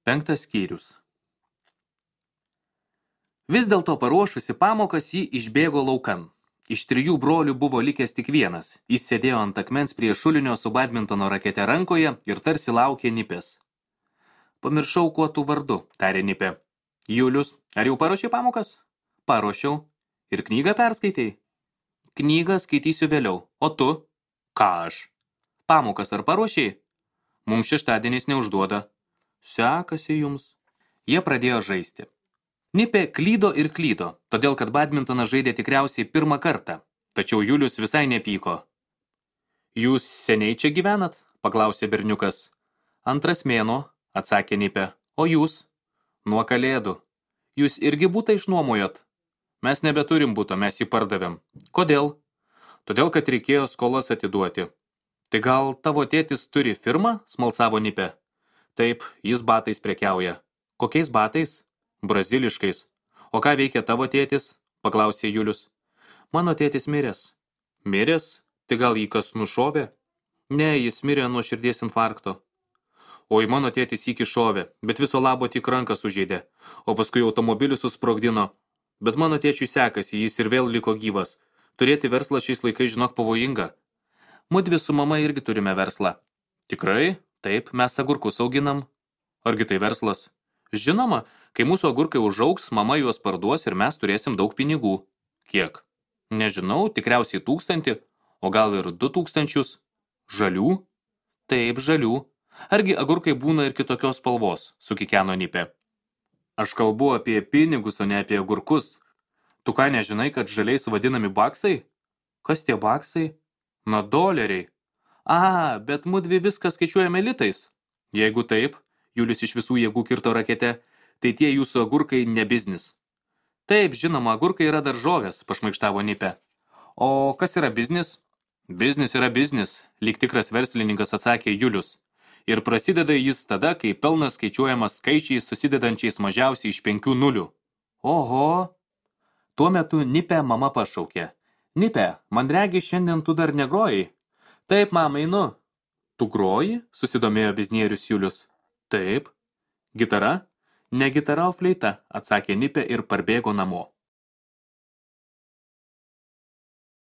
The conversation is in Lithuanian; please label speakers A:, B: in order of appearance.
A: 5 skyrius. Vis dėlto paruošusi pamokas ji išbėgo laukan. Iš 3 brolių buvo likęs tik vienas. Jis sėdėjo ant akmens prie šulinio su badmintono rakete rankoje ir tarsi laukė Nipės. Pamiršau, kuo tu vardu, tarė Nipė. Julius, ar jau paruošei pamokas? Paruošiau. Ir knygą perskaitei? Knygą skaitysiu vėliau. O tu? Ką aš? Pamokas ar paruošiai? Mums šeštadieniais neužduoda. Sekasi jums. Jie pradėjo žaisti. Nipė klydo ir klydo, todėl kad badmintoną žaidė tikriausiai pirmą kartą, tačiau Julius visai nepyko. Jūs seniai čia gyvenat? Paklausė berniukas. 2 mėnuo, atsakė Nipė. O jūs? Nuo Kalėdų. Jūs irgi butą išnuomojot? Mes nebeturim buto, mes jį pardavėm. Kodėl? Todėl, kad reikėjo skolas atiduoti. Tai gal tavo tėtis turi firmą? Smalsavo Nipė. Taip, jis batais prekiauja. Kokiais batais? Braziliškais. O ką veikia tavo tėtis? Paklausė Julius. Mano tėtis miręs. Miręs? Tai gal jį kas nušovė? Ne, jis mirė nuo širdies infarkto. Oi, mano tėtis iki šovė, bet viso labo tik ranką sužeidė, o paskui automobilį susprogdino. Bet mano tėčiui sekasi, jis ir vėl liko gyvas. Turėti verslą šiais laikais, žinok, pavojinga. Mudvi su mama irgi turime verslą. Tikrai? Taip, mes agurkus auginam. Argi tai verslas? Žinoma, kai mūsų agurkai užaugs, mama juos parduos ir mes turėsim daug pinigų. Kiek? Nežinau, tikriausiai 1000, o gal ir 2000. Žalių? Taip, žalių. Argi agurkai būna ir kitokios spalvos, sukikeno Nipė. Aš kalbu apie pinigus, o ne apie agurkus. Tu ką nežinai, kad žaliais vadinami baksai? Kas tie baksai? Na, doleriai. A, bet mudvi viską skaičiuojame litais. Jeigu taip, Julius iš visų jėgų kirto rakete, tai tie jūsų agurkai ne biznis. Taip, žinoma, agurkai yra daržovės, pašmaikštavo Nipė. O kas yra biznis? Biznis yra biznis, lyg tikras verslininkas atsakė Julius. Ir prasideda jis tada, kai pelnas skaičiuojamas skaičiais susidedančiais mažiausiai iš 5 nulių. Oho! Tuo metu Nipę mama pašaukė. Nipė, man regi šiandien tu dar negrojai? Taip, mama, einu. Tu groji? Susidomėjo biznierius Julius. Taip. Gitara? Ne gitara, o fleita, atsakė Nipė ir parbėgo namo.